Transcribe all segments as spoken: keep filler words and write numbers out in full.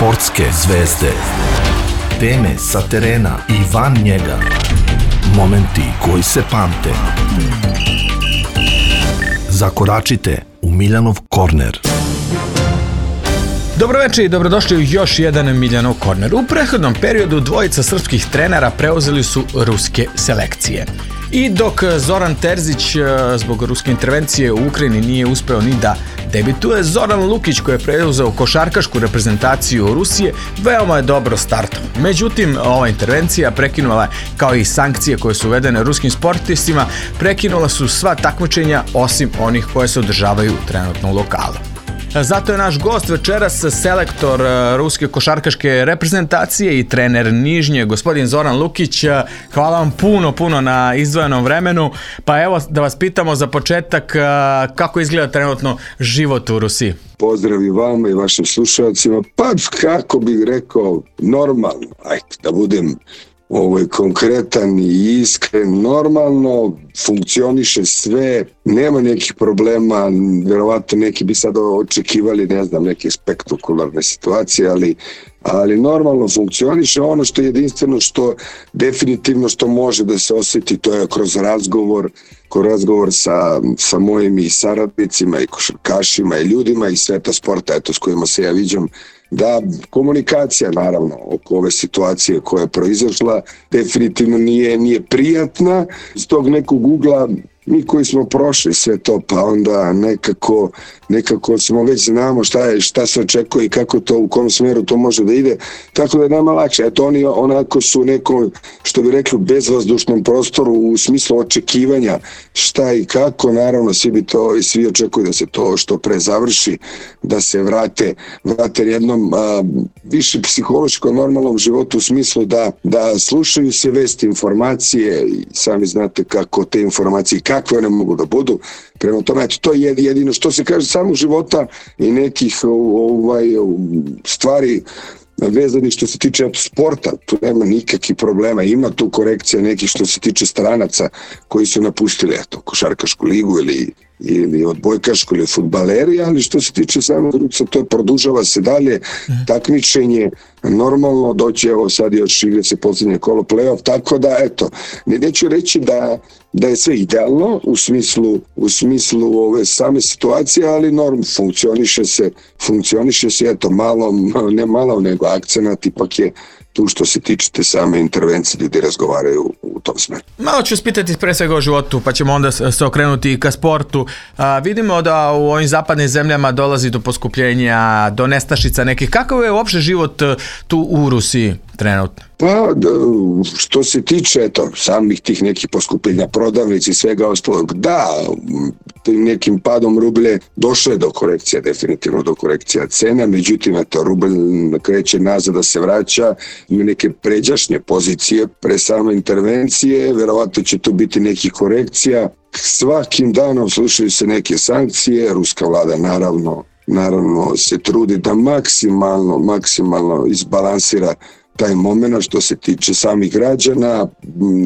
Sportske zvezde. Teme sa terena i van njega. Momenti koji se pamte. Zakoračite u Miljanov korner. Dobroveče i dobrodošli u još jedan Miljanov korner. U prethodnom periodu dvojica srpskih trenera preuzeli su ruske selekcije. I dok Zoran Terzić zbog ruske intervencije u Ukrajini nije uspeo ni da debituje, Zoran Lukić koji je preuzeo košarkašku reprezentaciju Rusije veoma je dobro startao. Međutim, ova intervencija prekinula, kao i sankcije koje su uvedene ruskim sportistima, prekinula su sva takmičenja osim onih koje se održavaju trenutno u lokalu. Zato je naš gost večeras selektor ruske košarkaške reprezentacije i trener Nižnje, gospodin Zoran Lukić. Hvala vam puno, puno na izdvojenom vremenu. Pa evo da vas pitamo za početak kako izgleda trenutno život u Rusiji. Pozdrav i vama i vašim slušalcima. Pa kako bih rekao, normalno, ajde da budem ovo je konkretan i iskren, normalno, funkcioniše sve, nema nekih problema, vjerovatno neki bi sad očekivali, ne znam, neke spektakularne situacije, ali, ali normalno funkcioniše. Ono što je jedinstveno, što definitivno što može da se osjeti, to je kroz razgovor, kroz razgovor sa, sa mojim i saradnicima i košarkašima i ljudima iz sveta sporta, eto, s kojima se ja viđam, da komunikacija naravno oko ove situacije koja je proizašla definitivno nije, nije prijatna. Iz tog nekog ugla mi koji smo prošli sve to, pa onda nekako, nekako smo već znamo šta je, šta se očekuje i kako to, u kom smjeru to može da ide, tako da je nama lakše. Eto, oni onako su neko, što bi rekli, bezvazdušnom prostoru u smislu očekivanja šta i kako, naravno svi bi to i svi očekuju da se to što pre završi, da se vrate, vrate jednom a, više psihološko normalnom životu u smislu da, da slušaju se vesti, informacije i sami znate kako te informacije kakve one mogu da budu. Prema tome, eto, to je jedino što se kaže samog života i nekih ovaj, stvari vezanih što se tiče sporta. Tu nema nikakvih problema. Ima tu korekcija nekih što se tiče stranaca koji su napustili eto, košarkašku ligu ili ili odbojkašku ili fudbaleri, ali što se tiče samog Rusa, to produžava se dalje, takmičenje normalno, doći evo sad još igra se posljednje kolo play-off, tako da eto, ne neću reći da, da je sve idealno u smislu, u smislu ove same situacije, ali norm funkcioniše se, funkcioniše se, eto, malo, ne malo, nego akcenat ipak je tu što se tiče same intervencije, ljudi razgovaraju u tom smeru. Malo ću spitati pre svega o životu, pa ćemo onda se okrenuti i ka sportu. A, vidimo da u ovim zapadnim zemljama dolazi do poskupljenja, do nestašica nekih. Kakav je uopšte život tu u Rusiji trenutno? Pa, što se tiče eto, samih tih nekih poskupljenja prodavnici i svega ostalog, da, tim nekim padom rublje došlo je do korekcija, definitivno do korekcija cena, međutim, eto, rubl kreće nazad da se vraća, ima neke pređašnje pozicije pre same intervencije, verovatno će tu biti nekih korekcija. Svakim danom slušaju se neke sankcije, ruska vlada naravno, naravno se trudi da maksimalno, maksimalno izbalansira taj moment što se tiče samih građana.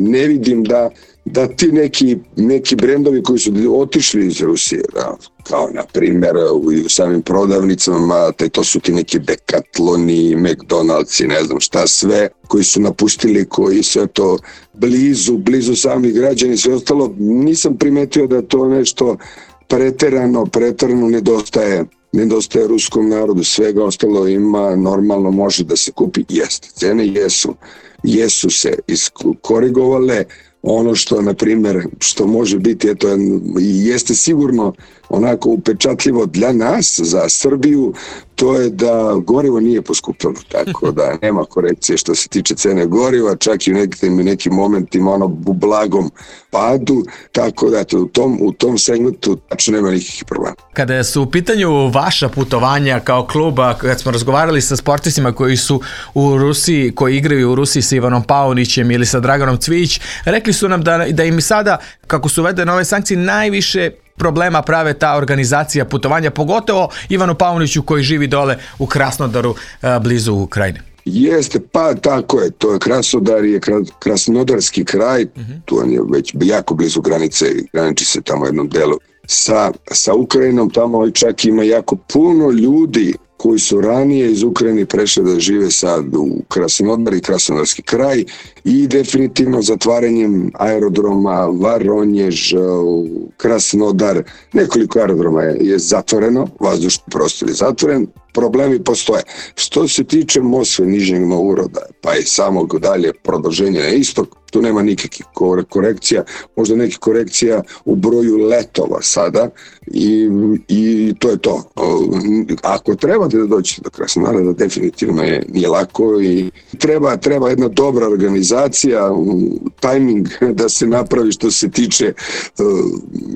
Ne vidim da, da ti neki, neki brendovi koji su otišli iz Rusije, da, kao na primjer u, u samim prodavnicama, te to su ti neki Decathloni, McDonald's i ne znam šta sve, koji su napustili, koji su to blizu, blizu samih građana i sve ostalo. Nisam primetio da to nešto preterano, preterano nedostaje nedostaje ruskom narodu, svega ostalo ima, normalno može da se kupi, jeste, cene jesu, jesu se iskorigovale, ono što, na primjer, što može biti, eto, jeste sigurno onako upečatljivo dla nas, za Srbiju, to je da gorivo nije poskupilo, tako da nema korekcije što se tiče cene goriva, čak i u nekim, nekim momentima ono u blagom padu, tako da eto, u tom, u tom segmentu tačno nema nikakvih problema. Kada su u pitanju vaša putovanja kao kluba, kad smo razgovarali sa sportistima koji su u Rusiji, koji igraju u Rusiji sa Ivanom Paunićem ili sa Draganom Cvijić, rekli su nam da, da im sada, kako su uvedene ove sankcije, najviše problema prave ta organizacija putovanja, pogotovo Ivanu Pauniću koji živi dole u Krasnodaru, blizu Ukrajine. Jeste, pa tako je, to je Krasnodar, je krasnodarski kraj, uh-huh. Tu on je već jako blizu granice, graniči se tamo jednom delu sa, sa Ukrajinom, tamo čak ima jako puno ljudi koji su ranije iz Ukrajine prešli da žive sad u Krasnodar i Krasnodarski kraj i definitivno zatvaranjem aerodroma Varonjež, Krasnodar, nekoliko aerodroma je, je zatvoreno, vazdušni prostor je zatvoren, problemi postoje. Što se tiče Moskve, Nižnjeg Novgoroda, pa i samog dalje produženja na istok, tu nema nikakvih korekcija, možda nekih korekcija u broju letova sada i, i to je to. Ako trebate da dođete do Krasnodara, da definitivno je, nije lako i treba, treba jedna dobra organizacija, tajming da se napravi što se tiče uh,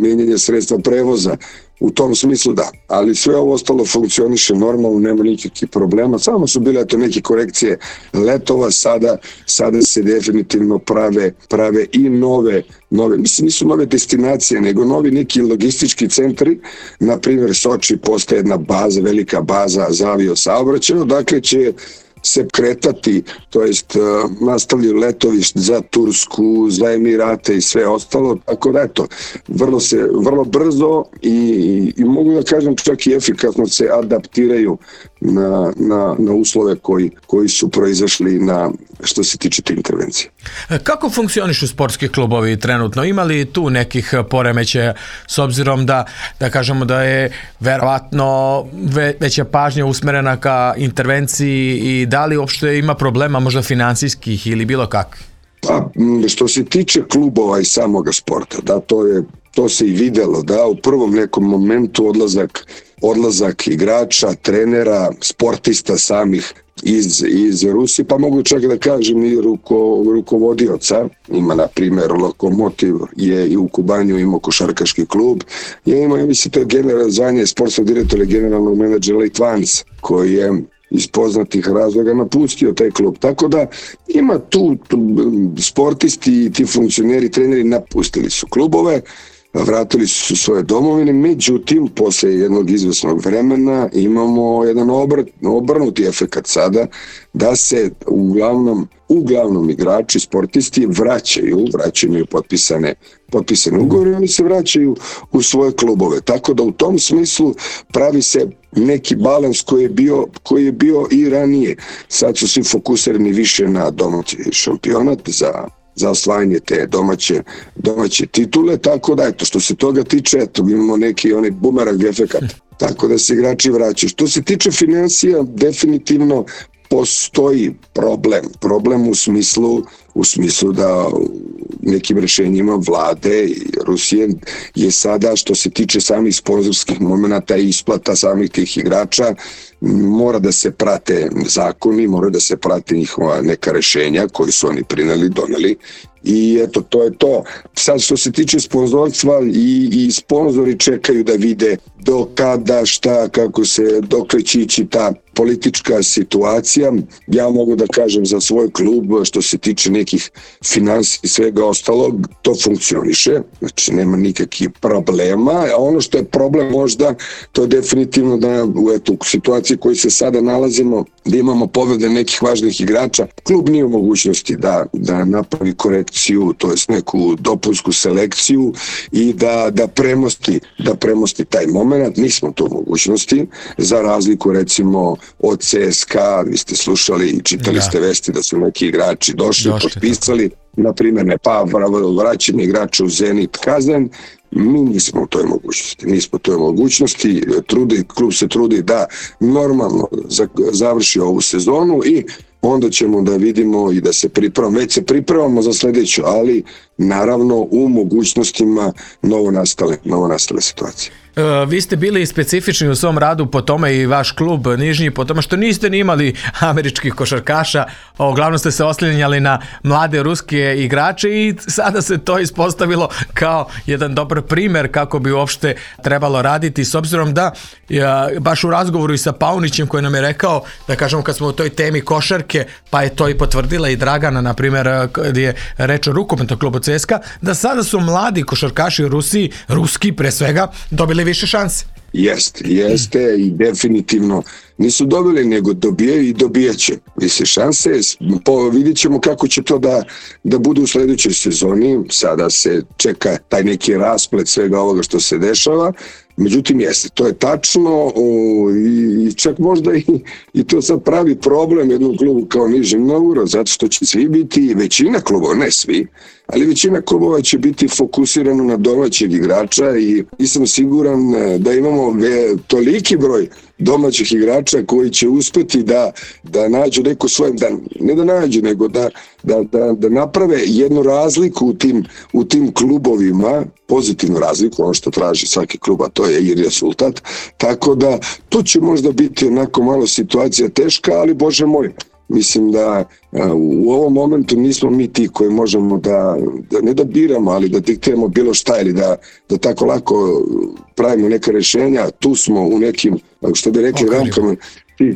mijenjanja sredstva prevoza. U tom smislu da, ali sve ovo ostalo funkcioniše normalno, nema nikakvih problema, samo su bile to neke korekcije letova, sada, sada se definitivno prave, prave i nove, nove, mislim nisu nove destinacije, nego novi neki logistički centri, na primjer Soči postaje jedna baza, velika baza za aviosaobraćaj, dakle će se kretati, to jest uh, nastavljaju letovi za Tursku, za Emirate i sve ostalo, tako da eto, vrlo se, vrlo brzo i, i, i mogu da kažem čak i efikasno se adaptiraju na, na, na uslove koji, koji su proizašli na što se tiče te intervencije. Kako funkcionišu sportski klubovi trenutno? Ima li tu nekih poremećaja s obzirom da, da kažemo da je verovatno ve, veća pažnja usmerena ka intervenciji i da li uopšte ima problema možda finansijskih ili bilo kakvih? Pa, što se tiče klubova i samoga sporta, da, to je to se i videlo, da u prvom nekom momentu odlazak, odlazak igrača, trenera, sportista samih iz, iz Rusije, pa mogu čak da kažem i ruko, rukovodioca. Ima, na primjer, Lokomotiv je i u Kubanju imao košarkaški klub. Je imao, mislim, to je general, zvanje sportskog direktora, generalnog menadžera Litvanac, koji je iz poznatih razloga napustio taj klub. Tako da ima tu, tu sportisti i ti funkcioneri, treneri napustili su klubove, vratili su svoje domovine, međutim, posle jednog izvesnog vremena imamo jedan obr, obrnuti efekat sada, da se uglavnom, uglavnom igrači, sportisti vraćaju, vraćaju potpisane, potpisane ugovore, oni se vraćaju u svoje klubove. Tako da u tom smislu pravi se neki balans koji je bio, koji je bio i ranije. Sad su svi fokusirani više na domaći šampionat za za osvajanje te domaće, domaće titule, tako da eto, što se toga tiče, eto, imamo neki onaj bumerang efekat, tako da se igrači vraćaju. Što se tiče financija, definitivno postoji problem, problem u smislu, u smislu da nekim rešenjima vlade i Rusije je sada, što se tiče samih sponzorskih momenta i isplata samih tih igrača, mora da se prate zakoni, mora da se prate njihova neka rešenja koji su oni prineli, doneli i eto, to je to. Sad što se tiče sponzorstva i, i sponzori čekaju da vide do kada, šta, kako se, dokle će ići ta politička situacija. Ja mogu da kažem za svoj klub, što se tiče nekih finansija i svega ostalog, to funkcioniše, znači nema nikakvih problema, a ono što je problem možda, to je definitivno da u eto, u situaciji u kojoj se sada nalazimo, da imamo povrede nekih važnih igrača, klub nije u mogućnosti da, da napravi korekciju, to jest neku dopunsku selekciju i da, da premosti, da premosti taj moment. Nismo to u mogućnosti, za razliku recimo od C S K A, vi ste slušali i čitali da. ste vesti da su neki igrači došli, došli potpisali, na primjer ne pa vraćanje igrača u Zenit Kazan, mi nismo u toj mogućnosti, nismo u toj mogućnosti, trudi, klub se trudi da normalno završi ovu sezonu i onda ćemo da vidimo i da se pripremamo, već se pripremamo za sljedeću, ali naravno u mogućnostima novonastale, novonastale situacije. Vi ste bili specifični u svom radu po tome i vaš klub Nižnji, po tome što niste ni imali američkih košarkaša, uglavnom ste se oslanjali na mlade ruske igrače i sada se to ispostavilo kao jedan dobar primjer kako bi uopšte trebalo raditi, s obzirom da ja, baš u razgovoru i sa Paunićem koji nam je rekao, da kažemo kad smo u toj temi košarke, pa je to i potvrdila i Dragana, na primjer, gdje je reč o rukometnom klubu C S K A, da sada su mladi košarkaši u Rusiji, ruski pre svega, dobili više šanse. Jeste, jeste i definitivno nisu dobili, nego dobijaju i dobijaće više šanse. Po, vidjet ćemo kako će to da, da bude u sljedećoj sezoni. Sada se čeka taj neki rasplet svega ovoga što se dešava, Međutim, jeste, to je tačno i čak možda i, i to sad pravi problem jednom klubu kao Nižni Novgorod, zato što će svi biti, većina klubova, ne svi, ali većina klubova će biti fokusirano na domaćeg igrača i nisam siguran da imamo toliki broj domaćih igrača koji će uspeti da, da nađu neku svojem, da, ne da nađu, nego da, da, da, da naprave jednu razliku u tim, u tim klubovima, pozitivnu razliku, ono što traži svaki klub, a to je i rezultat, tako da to će možda biti onako malo situacija teška, ali Bože moj, mislim da a, u ovom momentu nismo mi ti koji možemo da, da ne da biramo, ali da diktiramo bilo šta ili da, da tako lako pravimo neka rješenja. Tu smo u nekim, što bi rekli, okay, raмкama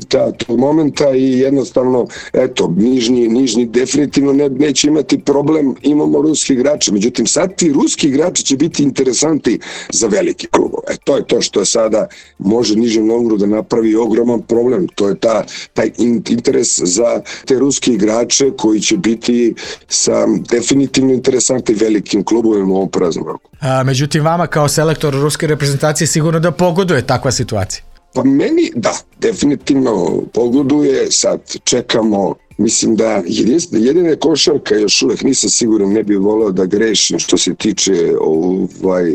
ta, tog momenta i jednostavno, eto, nižnji, nižnji definitivno ne, neće imati problem, imamo ruski igrače, međutim sad ti ruski igrači će biti interesanti za veliki klub. E, to je to što sada može Nižni Novgorod da napravi ogroman problem, to je ta, taj interes za te ruski igrače koji će biti sa definitivno interesantnim velikim klubovima u ovom praznom roku. A, međutim, vama kao selektor ruske reprezentacije sigurno da pogoduje takva situacija. Pa meni, da, definitivno pogoduje, sad čekamo, mislim da jedina košarka, još uvek nisam siguran, ne bih volao da grešim što se tiče ovaj,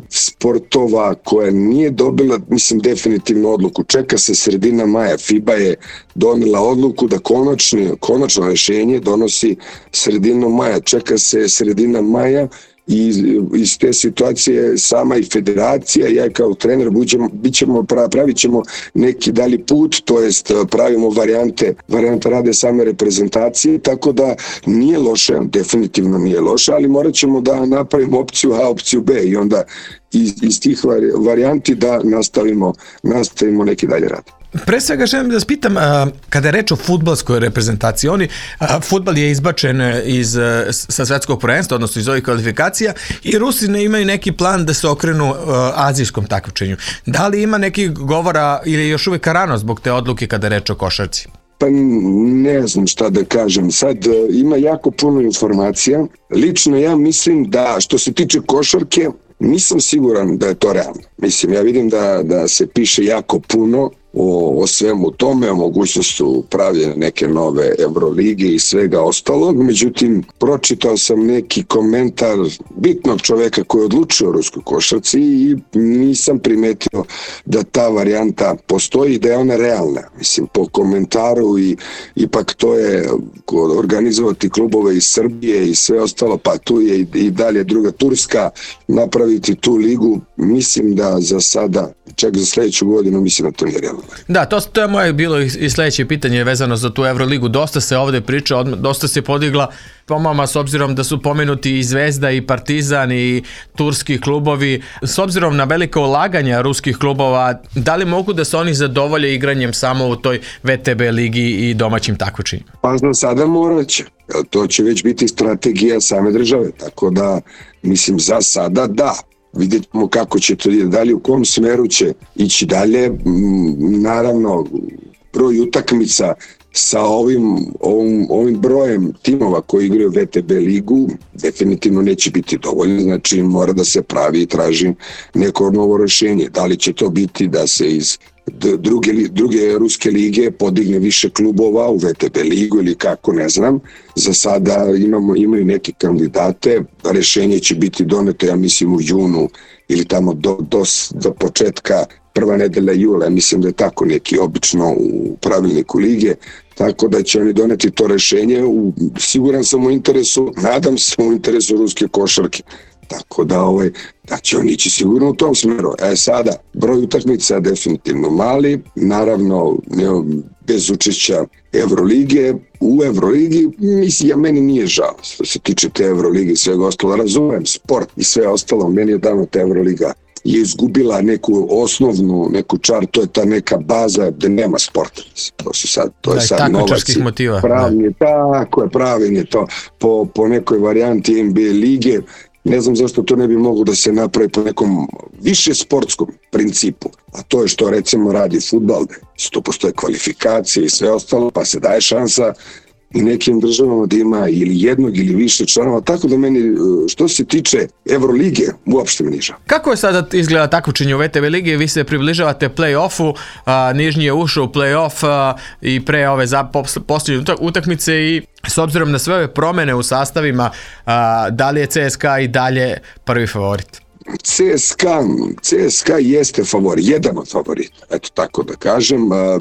sportova koja nije dobila, mislim, definitivno odluku. Čeka se sredina maja, FIBA je donela odluku da konačno, konačno rešenje donosi sredinom maja, čeka se sredina maja. I iz te situacije sama i federacija, ja kao trener buđemo, bićemo, pravit ćemo neki dalji put, to jest pravimo varijante, varijante rade same reprezentacije, tako da nije loše, definitivno nije loše, ali morat ćemo da napravimo opciju A, opciju B i onda iz, iz tih varijanti da nastavimo, nastavimo neki dalje rad. Pre svega želim da vas pitam, kada je reč o fudbalskoj reprezentaciji, oni, fudbal je izbačen iz, sa svetskog prvenstva, odnosno iz ovih kvalifikacija i Rusi ne imaju neki plan da se okrenu azijskom takmičenju. Da li ima neki govora ili je još uvijek rano zbog te odluke kada je reč o košarci? Pa ne znam šta da kažem. Sad ima jako puno informacija. Lično ja mislim da što se tiče košarke, nisam siguran da je to realno. Mislim, ja vidim da, da se piše jako puno o, o svemu tome, o mogućnostu pravljene neke nove Evrolige i svega ostalog. Međutim, pročitao sam neki komentar bitnog čoveka koji je odlučio o ruskoj košarci i nisam primetio da ta varijanta postoji i da je ona realna. Mislim, po komentaru i ipak to je organizovati klubove iz Srbije i sve ostalo, pa tu je i, i dalje druga Turska, napraviti tu ligu, mislim da za sada, čak za sljedeću godinu, mislim da to nije realno. Da, to, to je moje bilo i sljedeće pitanje vezano za tu Evroligu. Dosta se ovdje priča, dosta se podigla pomama s obzirom da su pomenuti i Zvezda i Partizan i turski klubovi. S obzirom na velike ulaganja ruskih klubova, da li mogu da se oni zadovolje igranjem samo u toj V T B ligi i domaćim takmičenjima? Pa znam, sada morat će. To će već biti strategija same države, tako da mislim za sada da. Vidjet ćemo kako će to dalje, u kom smeru će ići dalje. Naravno, broj utakmica sa ovim, ovim, ovim brojem timova koji igraju V T B ligu definitivno neće biti dovoljno, znači mora da se pravi i traži neko novo rješenje. Da li će to biti da se iz druge, druge ruske lige podigne više klubova u V T B ligu ili kako, ne znam. Za sada imamo, imaju neke kandidate, rješenje će biti doneto, ja mislim, u junu ili tamo do, do, do početka prva nedelja jula, mislim da je tako neki obično u pravilniku lige, tako da će oni doneti to rješenje, u, siguran sam u interesu, nadam se u interesu ruske košarke. Tako da, ovaj, da će oni ići sigurno u tom smeru. E sada, broj utakmica definitivno mali, naravno ne, bez učešća Evrolige. U Evroligi, mislim, ja meni nije žao što se tiče te Evrolige i svega ostalo. Razumem sport i sve ostalo, meni je davno ta Evroliga je izgubila neku osnovnu, neku čar, to je ta neka baza gde nema sporta. To su sad, to je sad novac, pravni, tako je, pravilno to po, po nekoj varijanti N B A lige. Ne znam zašto to ne bi moglo da se napravi po nekom više sportskom principu, a to je što recimo radi fudbal, to postoje kvalifikacije i sve ostalo, pa se daje šansa i nekim državama da ima ili jednog ili više članova, tako da meni što se tiče Evrolige uopšte me niža. Kako je sada izgleda takmičenje u V T B ligi? Vi se približavate play-offu, a, Nižnji je ušao u play-off a, i pre ove za, posljednje utakmice i s obzirom na sve ove promjene u sastavima, a, da li je C S K A i dalje prvi favorit? C S K A, C S K A jeste favorit, jedan od favorita, eto tako da kažem. A, a,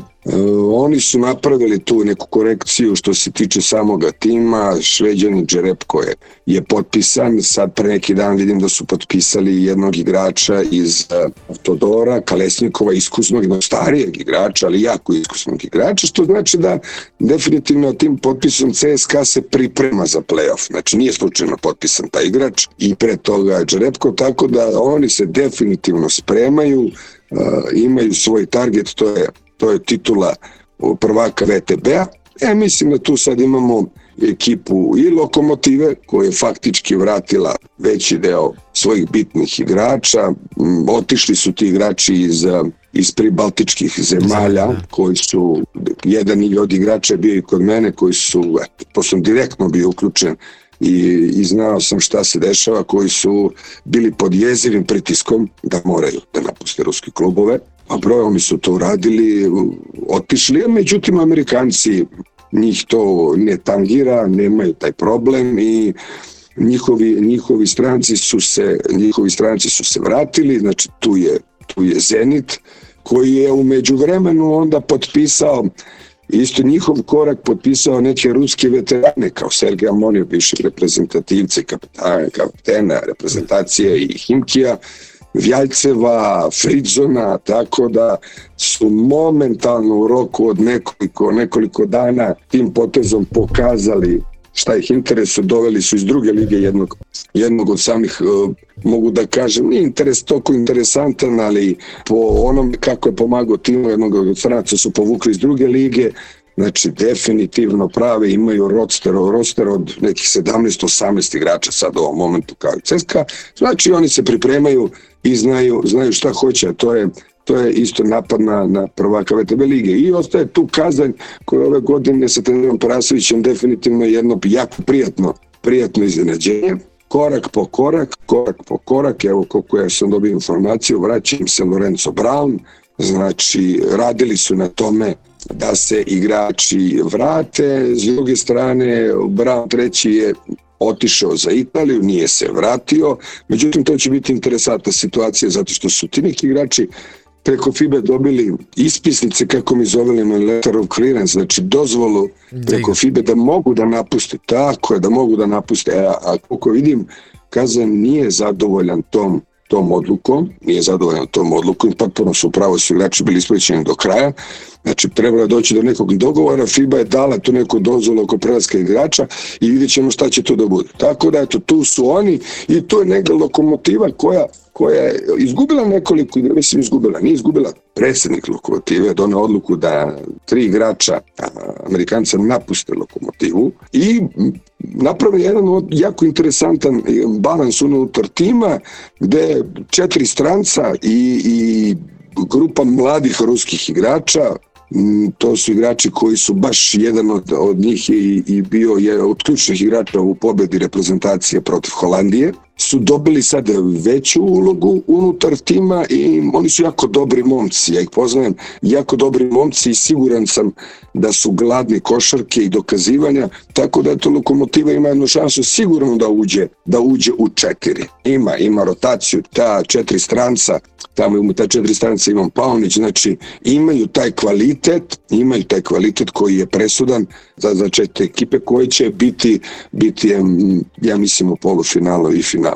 oni su napravili tu neku korekciju što se tiče samoga tima. Šveđanin Džerepko je, je potpisan, sad pre neki dan vidim da su potpisali jednog igrača iz uh, Todora, Kalesnikova, iskusnog, jednog starijeg igrača, ali jako iskusnog igrača, što znači da definitivno tim potpisom C S K A se priprema za play-off, znači nije slučajno potpisan taj igrač i pre toga Džerepko, tako da oni se definitivno spremaju, uh, imaju svoj target, to je to je titula prvaka V T B-a. Ja mislim da tu sad imamo ekipu i Lokomotive koja je faktički vratila veći deo svojih bitnih igrača. Otišli su ti igrači iz, iz pribaltičkih zemalja koji su, jedan od igrača je bio i kod mene koji su, to sam direktno bio uključen i, i znao sam šta se dešava, koji su bili pod jezivim pritiskom da moraju da napuste ruske klubove. A brojom su to uradili, otišli, međutim Amerikanci, njih to ne tangira, nemaju taj problem i njihovi, njihovi stranci su se, njihovi stranci su se vratili, znači tu je, tu je Zenit koji je u međuvremenu onda potpisao isto njihov korak, potpisao neke ruske veterane kao Sergej Amonjev, bivšeg reprezentativca i kapitana, kapitena reprezentacije i Himkija, Vjaljceva, Fridzona, tako da su momentalno u roku od nekoliko, nekoliko dana tim potezom pokazali šta ih interesuje, doveli su iz druge lige jednog, jednog od samih, uh, mogu da kažem, nije interes toliko interesantan, ali po onom kako je pomagao timu jednog od stranaca su povukli iz druge lige. Znači, definitivno prave, imaju roster, roster od nekih sedamnaest osamnaest igrača sad u ovom momentu kao i C S K A. Znači, oni se pripremaju i znaju, znaju šta hoće, a to je, to je isto napad na, na prvaka V T B lige. I ostaje tu Kazanj koja ove godine sa trenerom Parasovićem definitivno jedno jako prijatno, prijatno iznenađenje. Korak po korak, korak po korak, evo koliko ja sam dobio informaciju, vraćam se Lorenzo Brown, znači radili su na tome da se igrači vrate, s druge strane Brown treći je otišao za Italiju, nije se vratio, međutim to će biti interesantna situacija zato što su ti neki igrači preko F I B A dobili ispisnice, kako mi zovemo letter of clearance, znači dozvolu preko F I B A da mogu da napuste, tako je, da mogu da napuste, a, a koliko vidim Kazan nije zadovoljan tom tom odlukom, nije zadovoljan tom odlukom, potpuno su upravo su igrači bili isplaćeni do kraja, znači trebalo je doći do nekog dogovora, F I B A je dala tu neku dozvolu oko prelaska igrača i vidjet ćemo šta će to da bude. Tako da eto, tu su oni i to je negdje Lokomotiva koja, koja je izgubila nekoliko, mislim izgubila, nije izgubila, predsjednik Lokomotive doneo odluku da tri igrača Amerikanca napuste Lokomotivu i napravi jedan jako interesantan balans unutar tima gde četiri stranca i, i grupa mladih ruskih igrača, to su igrači koji su baš jedan od, od njih i, i bio je od ključnih igrača u pobedi reprezentacije protiv Holandije, su dobili sad veću ulogu unutar tima i oni su jako dobri momci, ja ih poznajem, jako dobri momci i siguran sam da su gladni košarke i dokazivanja, tako da to Lokomotiva ima jednu šansu sigurno da uđe, da uđe u četiri. Ima, ima rotaciju, ta četiri stranca, tamo ima ta četiri stranca Ivan Paunić, znači imaju taj kvalitet, imaju taj kvalitet koji je presudan za, za četiri ekipe koje će biti, biti ja mislim u polufinalu i finalu.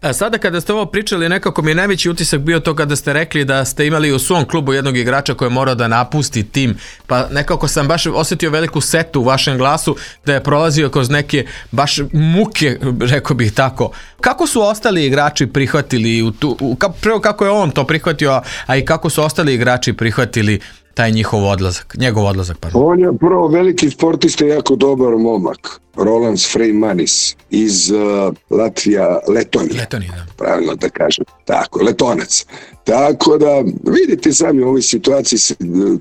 A sada kada ste ovo pričali, nekako mi je najveći utisak bio to kada ste rekli da ste imali u svom klubu jednog igrača koji je morao da napusti tim, pa nekako sam baš osjetio veliku setu u vašem glasu da je prolazio kroz neke baš muke, rekao bih tako. Kako su ostali igrači prihvatili, u tu, u, prvo kako je on to prihvatio, a i kako su ostali igrači prihvatili taj njihov odlazak, njegov odlazak, pardon. On je prvo veliki sportista, jako dobar momak. Roland Freimanis iz uh, Latvija, Letonija. Letonija, da. Pravilno da kažem. Tako, Letonac. Tako da, vidite sami u ovoj situaciji,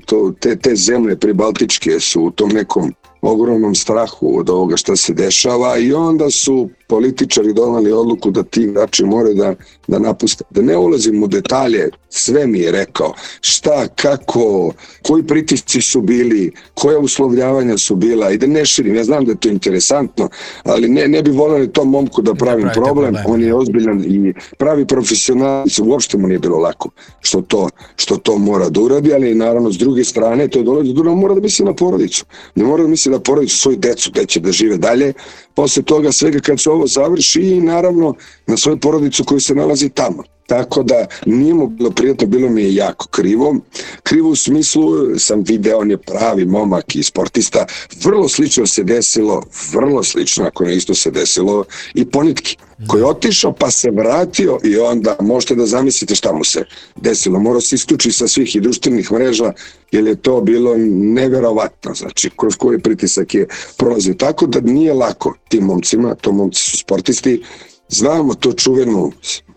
to, te, te zemlje pribaltičke su u tom nekom ogromnom strahu od ovoga što se dešava i onda su političari donali odluku da ti igrači moraju da, da napuste. Da ne ulazim u detalje, sve mi je rekao šta, kako, koji pritisci su bili, koja uslovljavanja su bila i da ne širim. Ja znam da je to interesantno, ali ne, ne bi volio tom momku da pravim problem. problem. On je ozbiljan i pravi profesionalac, uopšte mu nije bilo lako što to, što to mora da uradi, ali naravno s druge strane to je dolazi do toga, mora da misli na porodicu. Ne mora da misli na porodicu, svoju decu, gde će da žive dalje. Posle toga svega kad se ovo završi i naravno na svoju porodicu koju se nalazi tamo. Tako da nije mu bilo prijatno, bilo mi je jako krivo. Krivo u smislu, sam video, on je pravi momak i sportista. Vrlo slično se desilo, vrlo slično, ako ne isto se desilo, i Ponitki, koji je otišao pa se vratio i onda možete da zamislite šta mu se desilo. Morao se isključi sa svih i društvenih mreža, jer je to bilo neverovatno, znači kroz koji pritisak je prolazio. Tako da nije lako tim momcima, to momci su sportisti. Znamo to čuvenu,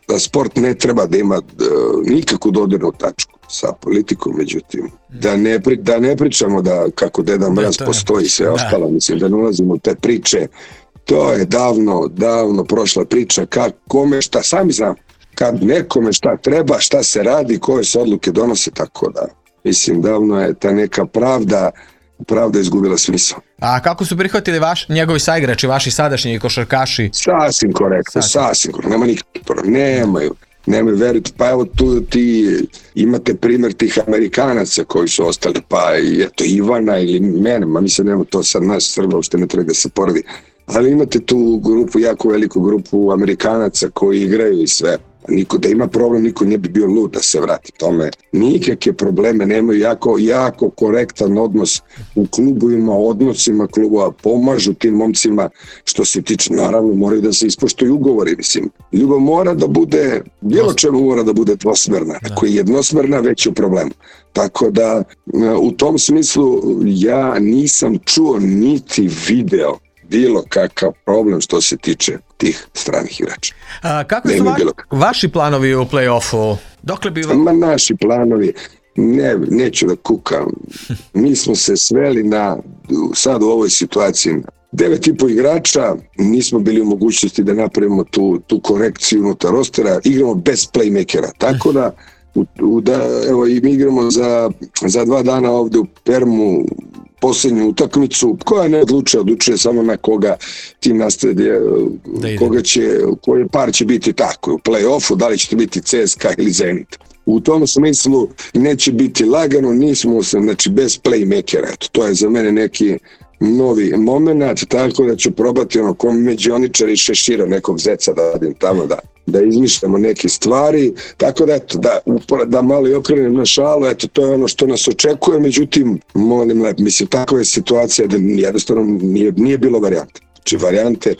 da sport ne treba da ima uh, nikakvu dodirnu tačku sa politikom, međutim, da ne, pri, da ne pričamo da kako Deda Mraz ja, postoji i sve da. Ostalo, mislim da ne ulazimo u te priče, to je davno, davno prošla priča, kad, kome šta, sami znam, kad nekome šta treba, šta se radi, koje se odluke donose, tako da, mislim, davno je ta neka pravda, pravda izgubila smisao. A kako su prihvatili vaš, njegovi saigrači, vaši sadašnji košarkaši? Sasvim korektno, sasvim, sasvim korektno, nema nikakvih problema, nemaju, nemaju, verujte, pa evo tu ti imate primjer tih Amerikanaca koji su ostali, pa eto Ivana ili mene, ma mislim nema to sad nas Srba, uopšte ne treba da se poredi, ali imate tu grupu, jako veliku grupu Amerikanaca koji igraju i sve. Niko da ima problem, niko ne bi bio lud da se vrati tome. Nikakve probleme nemaju, jako, jako korektan odnos u klubovima, odnosima klubova, pomažu tim momcima što se tiče, naravno moraju da se ispoštuju ugovori, mislim. Ljubav mora da bude, bilo čemu mora da bude dvosmerna, ako je jednosmerna već je u problemu. Tako da u tom smislu ja nisam čuo niti video bilo kakav problem što se tiče tih stranih igrača. A, kako su vaš, vaši planovi u play-offu? Dokle bi... Ma naši planovi, ne, neću da kukam. Mi smo se sveli na, sad u ovoj situaciji, devet i po igrača, nismo bili u mogućnosti da napravimo tu, tu korekciju unutar rostera, igramo bez playmakera, tako da, u, u, da evo, i mi igramo za, za dva dana ovde u Permu, posljednju utakmicu, koja ne odlučuje, odlučuje samo na koga tim nastaje, koga će, koji par će biti tako, u play-offu, da li će to biti C S K A ili Zenit. U tom smislu neće biti lagano, nismo se, znači bez playmakera, eto, to je za mene neki novi moment, tako da ću probati ono ko međioničar i Šešira, nekog zeca da radim tamo, da, da izmišljamo neke stvari, tako da eto, da, da malo i okrenem na šalu, eto, to je ono što nas očekuje, međutim, molim lep, mislim, takva je situacija da jednostavno nije, nije bilo varijante. Znači, varijante,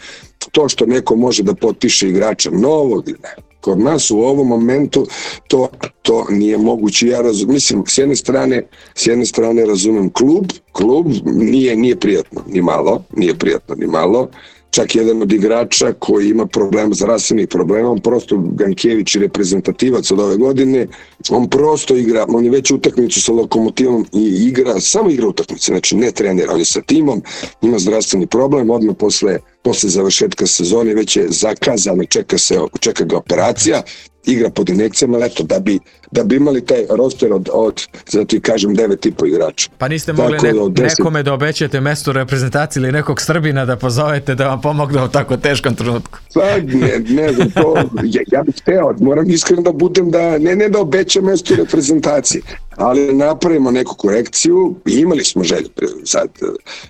to što neko može da potpiše igrača novog ili ne, kod nas u ovom momentu to, to nije moguće. Ja razum, mislim, s jedne strane, s jedne strane razumem klub, klub nije, nije prijatno ni malo, nije prijatno ni malo. Čak jedan od igrača koji ima problema, zdravstvenih problema, on prosto, Gankević i reprezentativac od ove godine, on prosto igra, on je već utakmicu sa Lokomotivom i igra, samo igra utakmice, znači ne trenira, on je sa timom, ima zdravstveni problem, odmah posle, posle završetka sezone već je zakazano, čeka, se, čeka ga operacija, igra pod injekcijama, ali eto, da bi, da bi imali taj roster od, od zato i kažem, devet i po igrača. Pa niste mogli ne, deset... nekome da obećate mesto u reprezentaciji ili nekog Srbina da pozovete da vam pomogne u tako teškom trenutku? Pa ne, ne znam, to, ja, ja bih hteo, moram iskreno da budem da, ne, ne da obećam mesto u reprezentaciji, ali napravimo neku korekciju i imali smo želju. Sad,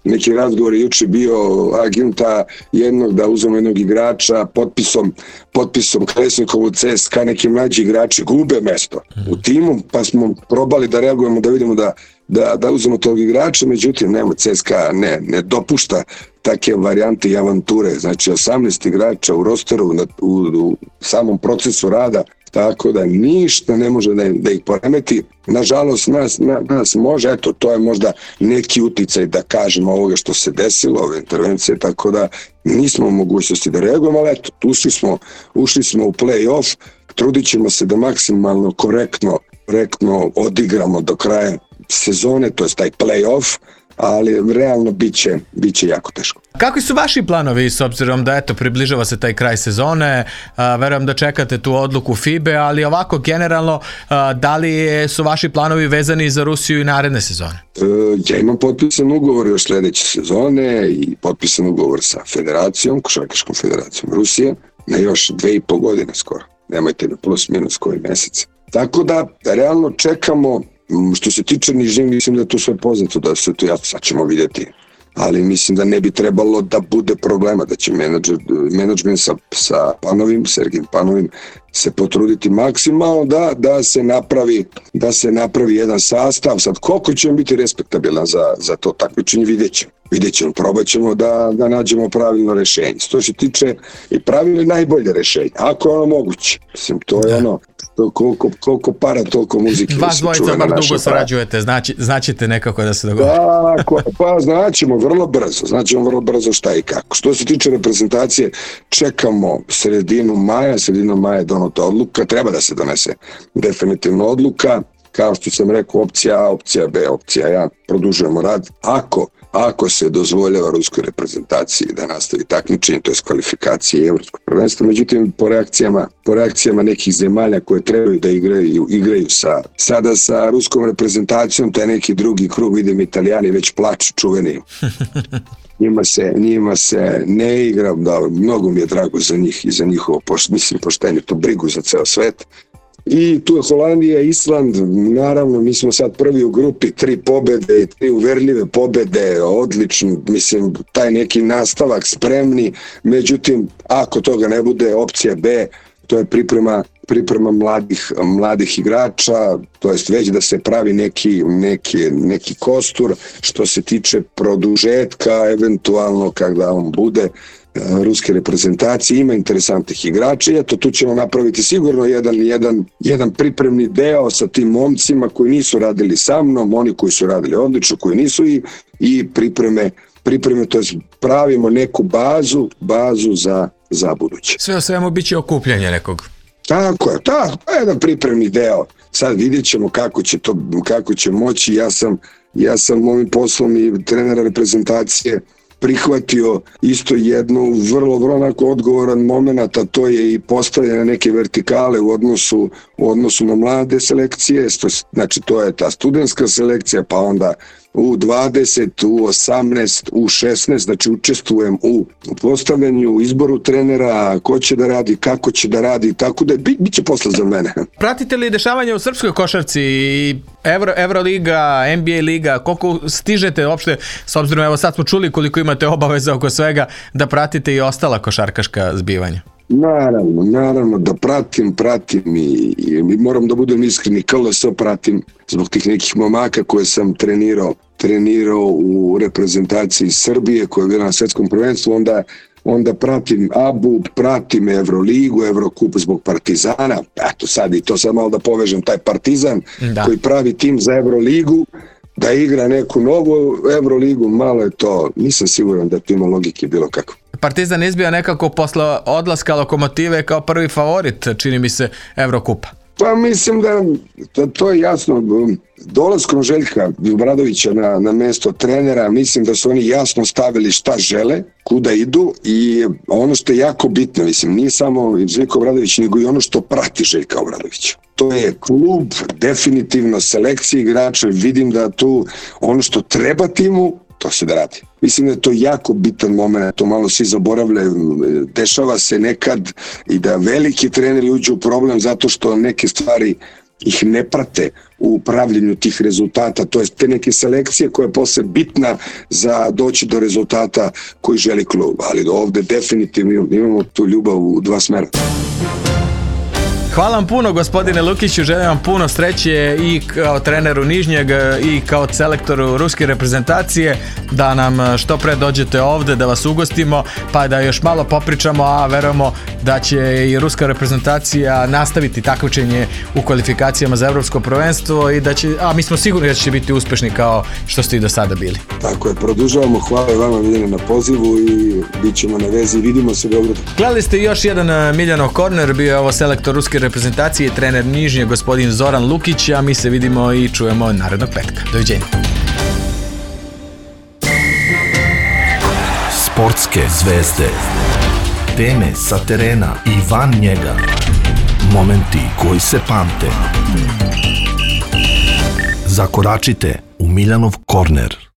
neki razgovor je juče bio agenta jednog da uzmemo jednog igrača potpisom, potpisom Klesnikovu C S K A, neki mlađi igrači gube mesto u timu, pa smo probali da reagujemo, da vidimo da, da, da uzmemo tog igrača, međutim, nema, C S K A ne, ne dopušta take varijante i avanture, znači osamnaest igrača u rosteru, u, u samom procesu rada, tako da ništa ne može da, da ih poremeti. Nažalost, nas, na, nas može, eto, to je možda neki uticaj da kažemo ovoga što se desilo, ove intervencije, tako da nismo u mogućnosti da reagujemo, ali eto, ušli smo, ušli smo u play-off, trudit ćemo se da maksimalno korektno, korektno odigramo do kraja sezone, to je taj play-off, ali realno bit će, bit će jako teško. Kakvi su vaši planovi s obzirom da eto približava se taj kraj sezone, a, verujem da čekate tu odluku F I B E, ali ovako generalno a, da li su vaši planovi vezani za Rusiju i naredne sezone? E, ja imam potpisan ugovor još sljedeće sezone i potpisan ugovor sa federacijom, Košarkaškom federacijom Rusije, na još dve i po godine skoro. Nemojte na plus minus koji mjesec. Tako da realno čekamo. Što se tiče Nižnjeg, mislim da je to sve poznato, da se to ja sad ćemo vidjeti. Ali mislim da ne bi trebalo da bude problema, da će menadžment sa, sa Panovim, Sergijem Panovim se potruditi maksimalno da, da, se napravi, da se napravi jedan sastav. Sad koliko će biti respektabilan za, za to takmičenje, vidjet ćemo. Vidjet ćemo, probat ćemo da, da nađemo pravilno rješenje. Što se tiče i pravilno najbolje rješenje, ako je ono moguće. Mislim, to je ono, to koliko, koliko para, toliko muzike. Vas dvojica bar dugo sarađujete, znači, znaćete nekako da se dogovori. Tako, pa znaćemo vrlo brzo, znaćemo vrlo brzo šta i kako. Što se tiče reprezentacije, čekamo sredinu maja, sredinu maja je donota odluka, treba da se donese definitivno odluka. Kao što sam rekao, opcija A, opcija B, opcija A, produžujemo rad. Ako Ako se dozvoljava ruskoj reprezentaciji da nastavi takmičenje, to je kvalifikacije i evropskog prvenstva, međutim po reakcijama, po reakcijama nekih zemalja koje trebaju da igraju, igraju sa, sada sa ruskom reprezentacijom, taj neki drugi krug, vidim Italijani već plaču čuveni. Njima se, njima se ne igra, da, mnogo mi je drago za njih i za njihovo, mislim, poštenje, to brigu za ceo svet. I tu je Holandija, Island, naravno mi smo sad prvi u grupi, tri pobede, tri uverljive pobede, odlično, mislim, taj neki nastavak spremni, međutim, ako toga ne bude, opcija B, to je priprema, priprema mladih, mladih igrača, to jest već da se pravi neki, neki, neki kostur, što se tiče produžetka, eventualno kada on bude, ruske reprezentacije, ima interesantnih igrača i eto tu ćemo napraviti sigurno jedan, jedan, jedan pripremni deo sa tim momcima koji nisu radili sa mnom, oni koji su radili odlično, koji nisu i, i pripreme, pripreme, to jest pravimo neku bazu, bazu za, za buduće. Sve o svemu bit će okupljanje nekog. Tako je, tako, jedan pripremni deo. Sad vidjet ćemo kako će to, kako će moći. Ja sam, ja sam ovim poslom i trenera reprezentacije prihvatio isto jednu vrlo, vrlo onako odgovoran moment, a to je i postavljanje neke vertikale u odnosu, u odnosu na mlade selekcije, znači to je ta studentska selekcija, pa onda u dvadeset, u osamnaest, u šesnaest, znači učestvujem u postavljanju, u izboru trenera, ko će da radi, kako će da radi, tako da bit, bit će posla za mene. Pratite li dešavanje u srpskoj košarci, Euro, Euroliga, N B A liga, koliko stižete uopšte, s obzirom, evo sad smo čuli koliko imate obaveza oko svega, da pratite i ostala košarkaška zbivanja? Naravno, naravno da pratim, pratim i, i moram da budem iskreni, K L S pratim zbog tih nekih momaka koje sam trenirao, trenirao u reprezentaciji Srbije koja je bila na svjetskom prvenstvu, onda onda pratim A B U, pratim Euroligu, Evrokup zbog Partizana, eto sad i to sad malo da povežem, taj Partizan da. Koji pravi tim za Euroligu, da igra neku novu Euroligu, malo je to, nisam siguran da to ima logike bilo kako. Partizan izbija nekako posle odlaska Lokomotive kao prvi favorit, čini mi se, Evrokupa. Pa mislim da to, to je jasno. Dolaskom Željka Obradovića na, na mesto trenera, mislim da su oni jasno stavili šta žele, kuda idu i ono što je jako bitno, mislim, nije samo Željko Obradović, nego i ono što prati Željka Obradovića. To je klub, definitivno selekcija igrača, vidim da tu ono što treba timu, to se da radi. Mislim da je to jako bitan moment, to malo svi zaboravljaju, dešava se nekad i da veliki treneri uđu u problem zato što neke stvari ih ne prate u pravljenju tih rezultata, to je te neke selekcije koja je posle bitna za doći do rezultata koji želi klub, ali ovde definitivno imamo tu ljubav u dva smera. Hvala vam puno, gospodine Lukiću, želim vam puno sreće i kao treneru Nižnjeg i kao selektoru ruske reprezentacije, da nam što pre dođete ovde, da vas ugostimo, pa da još malo popričamo, a verujemo da će i ruska reprezentacija nastaviti takmičenje u kvalifikacijama za evropsko prvenstvo i da će, a mi smo sigurni da će biti uspešni kao što ste i do sada bili. Tako je, produžavamo, hvala vama Miljane na pozivu i bit ćemo na vezi, vidimo se u Beogradu. Gledali ste još jedan Miljanov korner, bio je ovo selektor ruske reprezentacije i trener Nižnje, gospodin Zoran Lukić, a mi se vidimo i čujemo narednog petka. Doviđenja. Sportske zvezde. Teme sa terena i van njega. Momenti koji se pamte. Zakoračite u Miljanov korner.